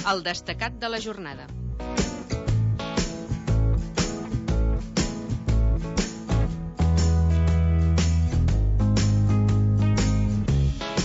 El destacat de la jornada.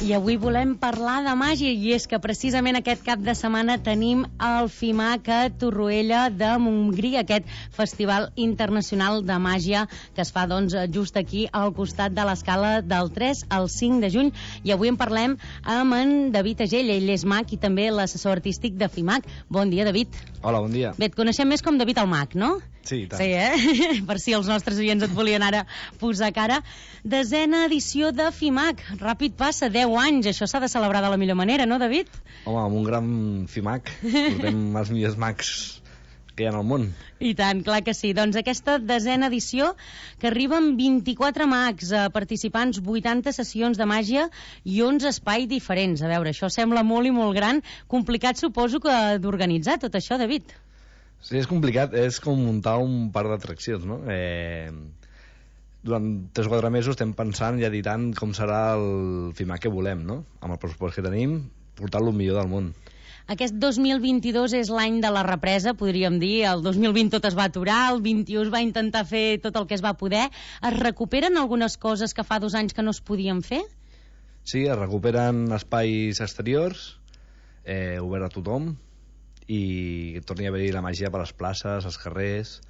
I avui volem parlar de màgia, i és que precisament aquest cap de setmana tenim el FIMAC a Torroella de Montgrí, aquest Festival Internacional de Màgia que es fa doncs just aquí al costat de l'escala del 3 al 5 de juny, i avui en parlem amb en David Agell, ell és mag i també l'assessor artístic de FIMAC. Bon dia, David. Hola, bon dia. Bé, et coneixem més com David el Mag, no? Sí, tant. Sí, Per si els nostres oients et volien ara posar cara. 10ª edició de FIMAC. Ràpid passa, 10 anys. Això s'ha de celebrar de la millor manera, no, David? Home, amb un gran FIMAC. Portem els millors mags que hi ha al món. I tant, clar que sí. Doncs aquesta 10ª edició, que arriba amb 24 mags, participants, 80 sessions de màgia i 11 espais diferents. A veure, això sembla molt i molt gran. Complicat, suposo, que d'organitzar tot això, David. Sí, és complicat. És com muntar un parc d'atraccions, no? Durant 3 o 4 mesos estem pensant i editant com serà el FIMAC que volem, no? Amb el pressupost que tenim, portar-lo el millor del món. Aquest 2022 és l'any de la represa, podríem dir. El 2020 tot es va aturar, el 21 es va intentar fer tot el que es va poder. Es recuperen algunes coses que fa 2 anys que no es podien fer? Sí, es recuperen espais exteriors, obert a tothom, i torni a haver-hi la màgia per les places, als carrers,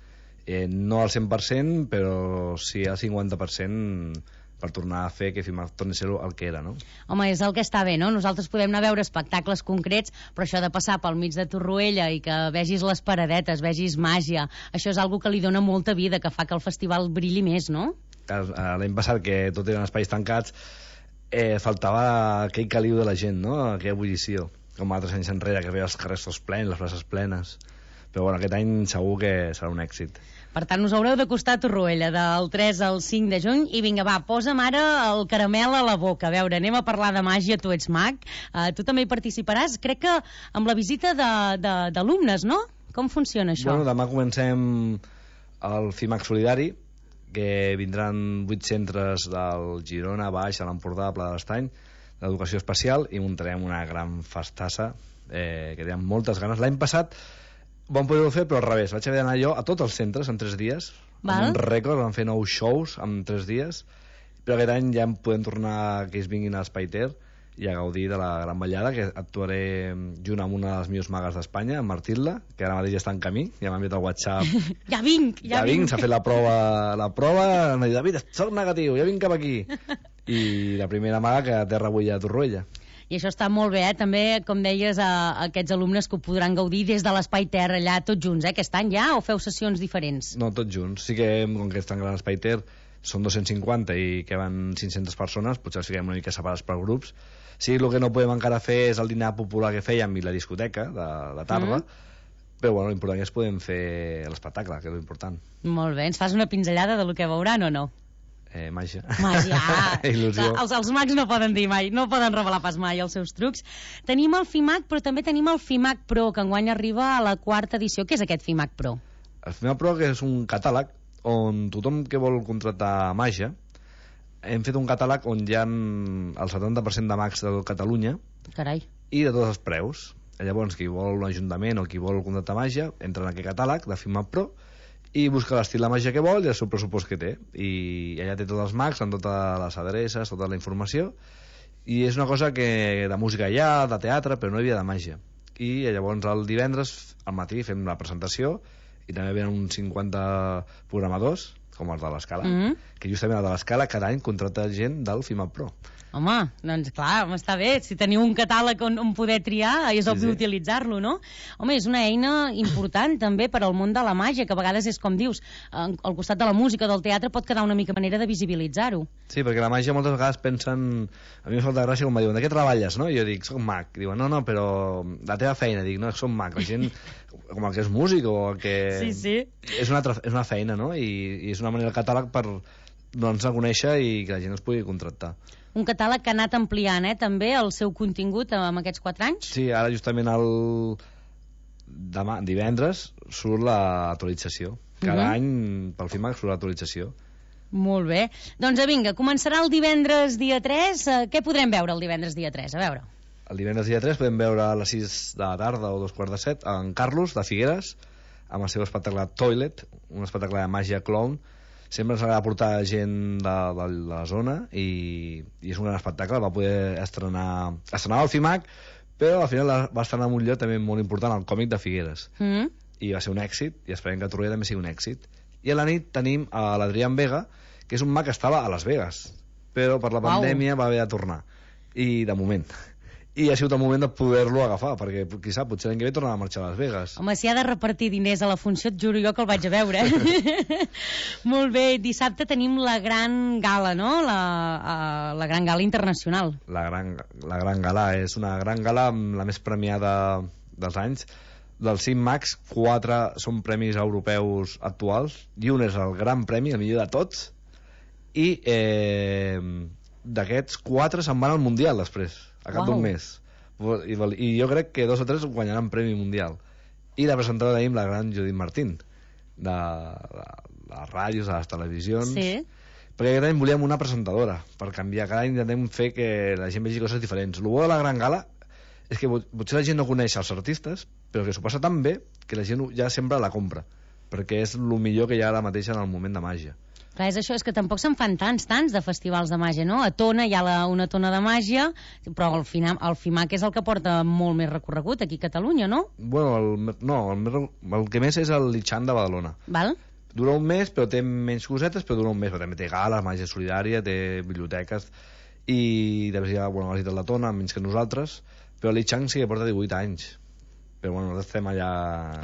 no al 100%, però sí al 50% per tornar a fer que FIMAC torni a ser el que era, no? Home, és el que està bé, no? Nosaltres podem anar a veure espectacles concrets, però això de passar pel mig de Torroella i que vegis les paradetes, vegis màgia, això és algo que li dona molta vida, que fa que el festival brilli més, no? L'any passat, que tot eren espais tancats, faltava aquell caliu de la gent, no? Aquella ebullició, com altres anys enrere, que veia els carrers tots plens, les places plenes. Però bueno, aquest any segur que serà un èxit. Per tant, us haureu d'acostar a Torroella del 3 al 5 de juny. I vinga, va, posa'm ara el caramel a la boca. A veure, anem a parlar de màgia. Tu ets mag, tu també hi participaràs. Crec que amb la visita d'alumnes, no? Com funciona això? Bueno, demà comencem el FIMAC Solidari, que vindran 8 centres del Girona, Baix, a l'Empordà, Pla de l'Estany, d'educació especial, i muntarem una gran festassa que tenim moltes ganes. L'any passat vam poder-ho fer, però al revés. Vaig haver d'anar jo a tots els centres en 3 dies. Val. Un rècord, vam fer 9 shows en 3 dies, però aquest any ja podem tornar que ells vinguin a l'Espai Ter i a gaudir de la gran ballada, que actuaré junt amb una de les millors magues d'Espanya, en Martil·la, que ara mateix ja està en camí, ja m'ha enviat al WhatsApp. Ja vinc. S'ha fet la prova, em diu, David, soc negatiu, ja vinc cap aquí. I la primera maga que aterra avui a Torroella. I això està molt bé, també, com deies, a aquests alumnes que ho podran gaudir des de l'Espai Ter, allà tots junts, aquest any ja, o feu sessions diferents? No, tots junts. Sí que, com que és tan gran l'Espai Ter, són 250 i que van 500 persones, potser els fiquem una mica separats per grups. Sí, el que no podem encara fer és el dinar popular que fèiem i la discoteca de la tarda, però bueno, l'important és que podem fer l'espectacle, que és l'important. Molt bé, ens fas una pinzellada de lo que veuran o no? Màgia. Màgia. Il·lusió. Els mags no poden dir mai, no poden revelar pas mai els seus trucs. Tenim el FIMAC, però també tenim el FIMAC Pro, que enguany arriba a la 4ª edició. Què és aquest FIMAC Pro? El FIMAC Pro, que és un catàleg on tothom que vol contractar màgia, hem fet un catàleg on hi ha el 70% de mags de Catalunya. Carai. I de tots els preus. Llavors, qui vol un ajuntament o qui vol contractar màgia, entra en aquest catàleg de FIMAC Pro i busca l'estil de màgia que vol i el seu pressupost que té. I allà té tots els mags, amb totes les adreces, tota la informació. I és una cosa que de música hi ha, de teatre, però no hi havia de màgia. I llavors el divendres al matí fem la presentació i també venen uns 50 programadors, com els de l'Escala, que justament el de l'Escala cada any contracta gent del FIMAC Pro. Home, doncs clar, està bé. Si teniu un catàleg on poder triar, és obvi utilitzar-lo, no? Home, és una eina important també per al món de la màgia, que a vegades és com dius, al costat de la música, del teatre, pot quedar una mica manera de visibilitzar-ho. Sí, perquè la màgia moltes vegades pensen... A mi em falta gràcia quan em diuen, de què treballes, no? I jo dic, soc mag. Diuen, no, però la teva feina. Dic, no, soc mag. La gent, com el que és músic o el que... Sí. És una feina, no? I és una manera del catàleg per donar-nos a conèixer i que la gent es pugui contractar. Un catàleg que ha anat ampliant, també, el seu contingut amb aquests 4 anys? Sí, ara justament divendres surt l'actualització. Cada any pel FIMAC surt l'actualització. Molt bé. Doncs vinga, començarà el divendres dia 3. Què podrem veure el divendres dia 3? A veure. El divendres dia 3 podem veure a les 6 de la tarda o 2:15 en Carlos, de Figueres, amb el seu espectacle Toilet, un espectacle de màgia clown. Sempre ens agrada portar gent de la zona i és un gran espectacle. Va poder estrenar al FIMAC, però al final va estrenar en un lloc també molt important, el Còmic de Figueres. I va ser un èxit, i esperem que a Torroella també sigui un èxit. I a la nit tenim a l'Adrián Vega, que és un mag que estava a Las Vegas, però per la pandèmia va haver de tornar, i de moment. I ha sigut el moment de poder-lo agafar, perquè, qui sap, potser l'any que ve tornarà a marxar a Las Vegas. Home, si ha de repartir diners a la funció, et juro jo que el vaig a veure. Molt bé, dissabte tenim la gran gala, no? La gran gala internacional. La gran gala, és una gran gala amb la més premiada dels anys. Dels 5 mags, 4 són premis europeus actuals, i un és el gran premi, el millor de tots, i d'aquests 4 se'n van al Mundial després, a cap d'un mes. I jo crec que 2 o 3 guanyaran premi mundial. I la presentadora tenim la gran Judit Martín, de les ràdios, de les televisions. Sí. Perquè aquest any volíem una presentadora, per canviar. Cada any intentem fer que la gent vegi coses diferents. El bo de la gran gala és que potser la gent no coneix els artistes, però que s'ho passa tan bé que la gent ja sempre la compra, perquè és el millor que hi ha ara mateix en el moment de màgia. Clar, és això, és que tampoc se'n fan tants de festivals de màgia, no? A Tona hi ha una tona de màgia, però al FIMAC és el que porta molt més recorregut aquí a Catalunya, no? Bueno, el que més és el Lichan de Badalona. Val? Dura un mes, però té menys cosetes, però dura un mes, però també té gales, màgia solidària, té biblioteques, i després hi ha, bueno, la ciutat de la Tona, menys que nosaltres, però el Lichan sí que porta 18 anys. Però bueno, nosaltres estem allà...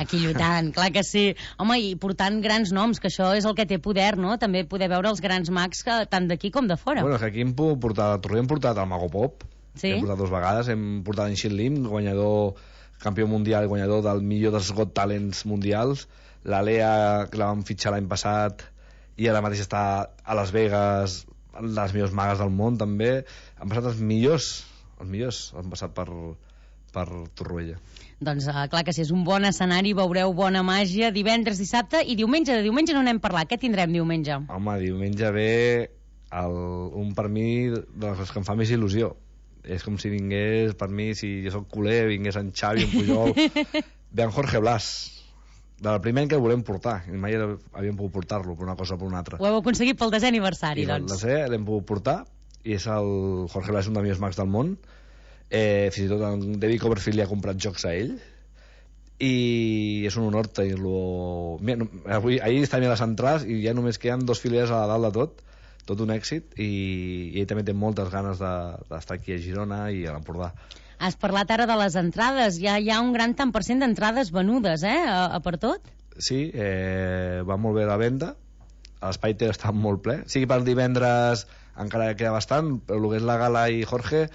Aquí lluitant, clar que sí. Home, i portant grans noms, que això és el que té poder, no? També poder veure els grans mags tant d'aquí com de fora. Bueno, que aquí hem portat, a Torroella hem portat el Mago Pop, sí? Hem portat 2 vegades, hem portat en Xin Lim, guanyador, campió mundial, guanyador del millor dels Got Talents mundials, la Lea, que la vam fitxar l'any passat, i ara mateix està a Las Vegas, les millors magues del món també. Han passat els millors han passat per Torroella. Doncs clar que sí, és un bon escenari, veureu bona màgia divendres, dissabte i diumenge. De diumenge no n'hem parlat, què tindrem diumenge? Home, diumenge ve un per mi dels que em fa més il·lusió. És com si vingués, per mi, si jo soc culer, vingués en Xavi, en Pujol, ve en Jorge Blas, del primer any que el volem portar, i mai havíem pogut portar-lo per una cosa o per una altra. Ho heu aconseguit pel 10è aniversari, doncs. I el 10è l'hem pogut portar, i és el Jorge Blas, un dels millors mags del món. Fins i tot en David Copperfield li ha comprat jocs a ell, i és un honor tenir-lo. Ahir estava a les entrades i ja només queden 2 fileres a dalt de tot un èxit, i ell també té moltes ganes d'estar aquí a Girona i a l'Empordà. Has parlat ara de les entrades, ja hi ha un gran tant per cent d'entrades venudes, a per tot? Sí, va molt bé la venda, l'espai té està molt ple, sigui per divendres encara queda bastant, però el que és la Gala i Jorge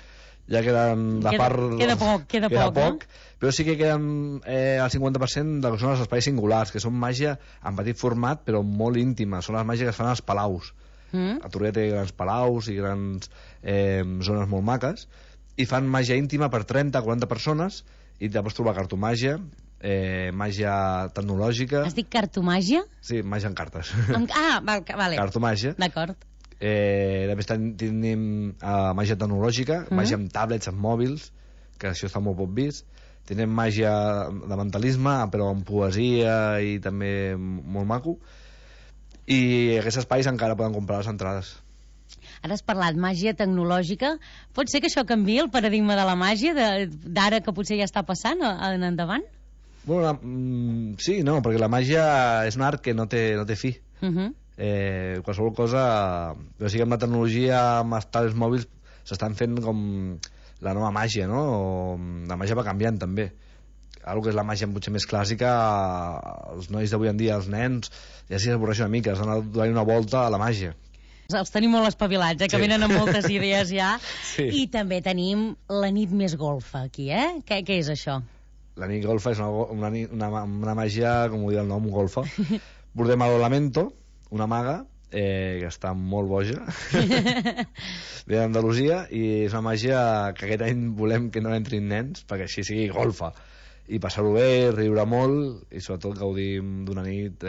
ja queden de part... Queda poc, però sí que queden el 50% del que són els espais singulars, que són màgia en petit format però molt íntima, són les màgies que es fan als palaus. A Torroella té grans palaus i grans zones molt maques, i fan màgia íntima per 30-40 persones, i te pots trobar cartomàgia, màgia tecnològica... Has dit cartomàgia? Sí, màgia en cartes. Vale. Cartomàgia. D'acord. Després tenim màgia tecnològica, màgia amb tablets, amb mòbils, que això està molt poc vist. Tenim màgia de mentalisme, però amb poesia i també molt maco, i aquests espais encara poden comprar les entrades. Ara has parlat màgia tecnològica, pot ser que això canviï el paradigma de la màgia d'ara, que potser ja està passant en endavant? Bueno, sí, no, perquè la màgia és un art que no té fi. Qualsevol cosa, però sí que amb la tecnologia, amb els tablets mòbils, s'estan fent com la nova màgia, no? La màgia va canviant també. Algo que és la màgia potser més clàssica, els nois d'avui en dia, els nens, ja s'hi avorreixen una mica, s'han de donar una volta a la màgia. Els tenim molt espavilats, que venen amb moltes idees ja. Sí. I també tenim la nit més golfa aquí, Què és això? La nit golfa és una màgia, com ho diu el nom, golfa. Portem a Lamento, una maga, que està molt boja, ve d'Andalusia, i és una màgia que aquest any volem que no entrin nens, perquè així sigui golfa, i passar-ho bé, riure molt, i sobretot gaudim d'una nit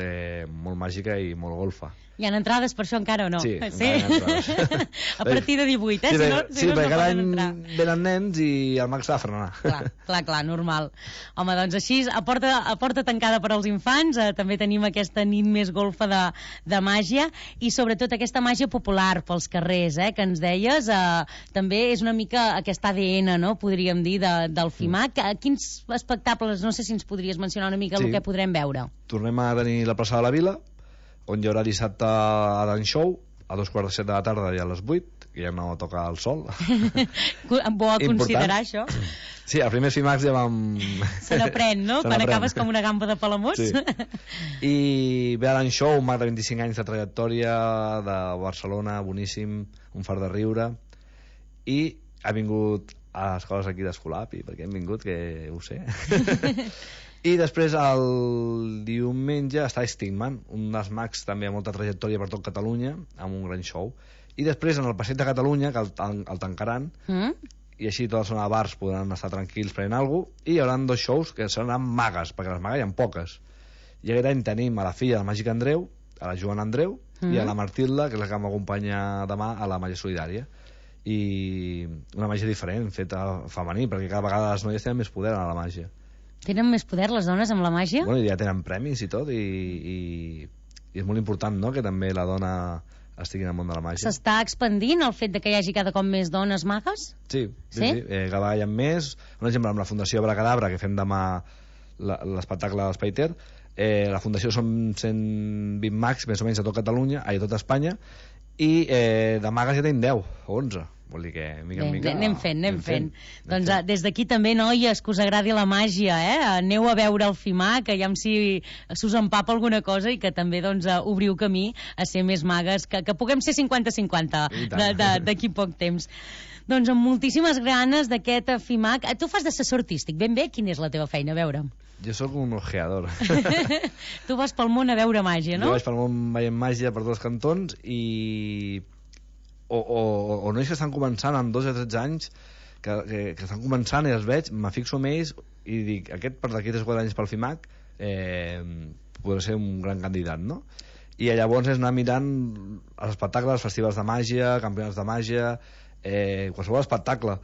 molt màgica i molt golfa. Hi ha entrades per això encara o no? Sí, encara hi ha entrades. A partir de 18, Sí, si no perquè cada poden any entrar. venen nens i el Max s'ha de frenar. Clar, normal. Home, doncs així, a porta tancada per als infants, també tenim aquesta nit més golfa de màgia, i sobretot aquesta màgia popular pels carrers, que ens deies, també és una mica aquest ADN, no?, podríem dir, del FIMAC. Quins espectacles, no sé si ens podries mencionar una mica el que podrem veure? Tornem a tenir la plaça de la Vila, on hi haurà dissabte a Dan Show, a 2:45 de la tarda i a les 8, que ja no toca el sol. Bo a considerar, això. Sí, al primer FIMAX ja vam... Se n'aprèn, no? Quan acabes com una gamba de Palamós. Sí. I ve a Dan Show, un mag de 25 anys de trajectòria de Barcelona, boníssim, un fart de riure, i ha vingut a les coses aquí d'Escolapi, perquè hem vingut, que ho sé. I després el diumenge està Stigman, un dels mags també amb molta trajectòria per tot Catalunya, amb un gran show. I després en el Passeig de Catalunya, que el tancaran, i així tota la zona de bars podran estar tranquils prenent alguna cosa, i hi haurà 2 shows que seran magues, perquè les magues hi ha poques. I aquest any tenim a la filla del Màgic Andreu, a la Joana Andreu, i a la Martilda, que és la que m'acompanya demà a la Màgia Solidària. I una màgia diferent, feta femení, perquè cada vegada les noies tenen més poder a la màgia. Tenen més poder les dones amb la màgia? Bueno, ja tenen premis i tot, i és molt important, no?, que també la dona estigui en el món de la màgia. S'està expandint el fet de que hi hagi cada cop més dones magues? Sí. Cada vegada hi ha més. Un exemple, amb la Fundació Abracadabra, que fem demà l'espectacle de l'Espaiter, la Fundació són 120 mags, més o menys, a tot Catalunya, a tot Espanya, i de magues ja tenim 10 o 11. Vol dir que, mica en mica... Anem fent. Doncs des d'aquí també, noies, que us agradi la màgia, aneu a veure el FIMAC, que ja si us empapa alguna cosa, i que també doncs, obriu camí a ser més magues, que puguem ser 50-50 d'aquí poc temps. Doncs amb moltíssimes ganes d'aquest FIMAC. Tu fas d'assessor artístic, ben bé, quina és la teva feina? A veure. Jo sóc un ojeador. Tu vas pel món a veure màgia, no? Jo vaig pel món veient màgia per tots cantons, i... O nois que estan començant amb 2 o 13 anys, que estan començant i els veig, me fixo amb ells i dic, aquest per d'aquí 3 o 4 anys pel FIMAC podrà ser un gran candidat, no? I llavors és anar mirant els espectacles, els festivals de màgia, campionats de màgia, qualsevol espectacle,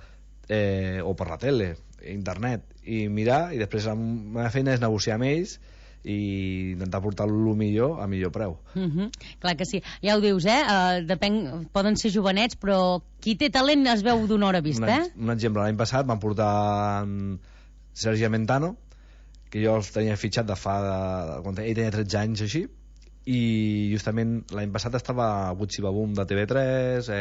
o per la tele, internet, i mirar, i després la meva feina és negociar amb ells i intentar portar-lo millor a millor preu. Clar que sí, ja ho dius, depèn, poden ser jovenets, però qui té talent es veu d'una hora vista. Un exemple, l'any passat van portar Sergi Amentano, que jo els tenia fitxat quan ell tenia 13 anys així, i justament l'any passat estava a Butxi Babum de TV3,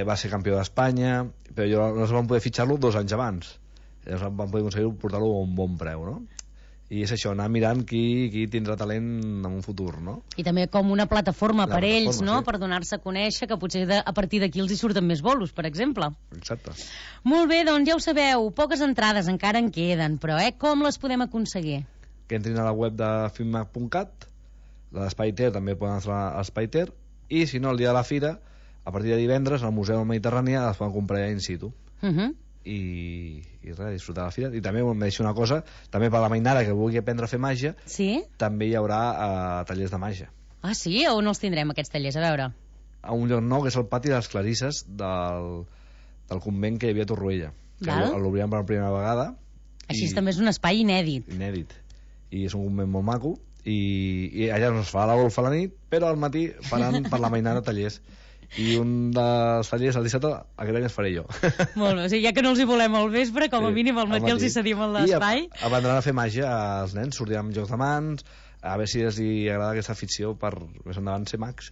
va ser campió d'Espanya, però no es van poder fitxar-lo 2 anys abans. Llavors van poder aconseguir portar-lo a un bon preu, no? I és això, anar mirant qui tindrà talent en un futur, no? I també com una plataforma per ells, no? Sí. Per donar-se a conèixer, que potser a partir d'aquí els hi surten més bolos, per exemple. Exacte. Molt bé, doncs ja ho sabeu, poques entrades encara en queden, però com les podem aconseguir? Que entrin a la web de filmac.cat, la d'Espaiter també poden entrar a l'Espaiter, i si no, el dia de la fira, a partir de divendres, al Museu Mediterrània les poden comprar ja in situ. I res, disfrutar de la fira. I també em deixo una cosa, també per la mainada que vulgui aprendre a fer màgia, també hi haurà tallers de màgia. Ah, sí? On els tindrem, aquests tallers? A veure. A un lloc nou, que és el pati de les Clarisses del convent que hi havia a Torroella, que l'obrirem per la primera vegada. Així també és un espai inèdit. I és un convent molt maco, i allà no es farà la golfa a la nit, però al matí faran per la mainada tallers. I un dels tallers al dissabte aquest any es faré jo. Molt bé, o sigui, ja que no els hi volem al vespre, com a mínim al matí els hi cedim a l'espai. I aprendran a fer màgia als nens, sortiran amb jocs de mans, a veure si els agrada aquesta afició per més endavant ser mags.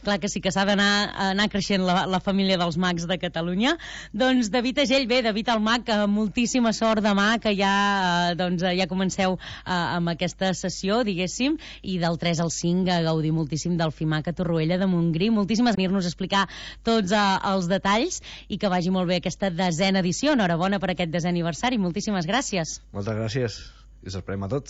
Clar que sí, que s'ha d'anar creixent la família dels mags de Catalunya. Doncs David Agell, David el mag, moltíssima sort demà, que ja comenceu amb aquesta sessió, diguéssim, i del 3 al 5 a gaudir moltíssim del FIMAC a Torroella de Montgrí. Moltíssimes gràcies per venir-nos a explicar tots els detalls, i que vagi molt bé aquesta 10a edició. Enhorabona per aquest 10è aniversari. Moltíssimes gràcies. Moltes gràcies, i us esperem a tots.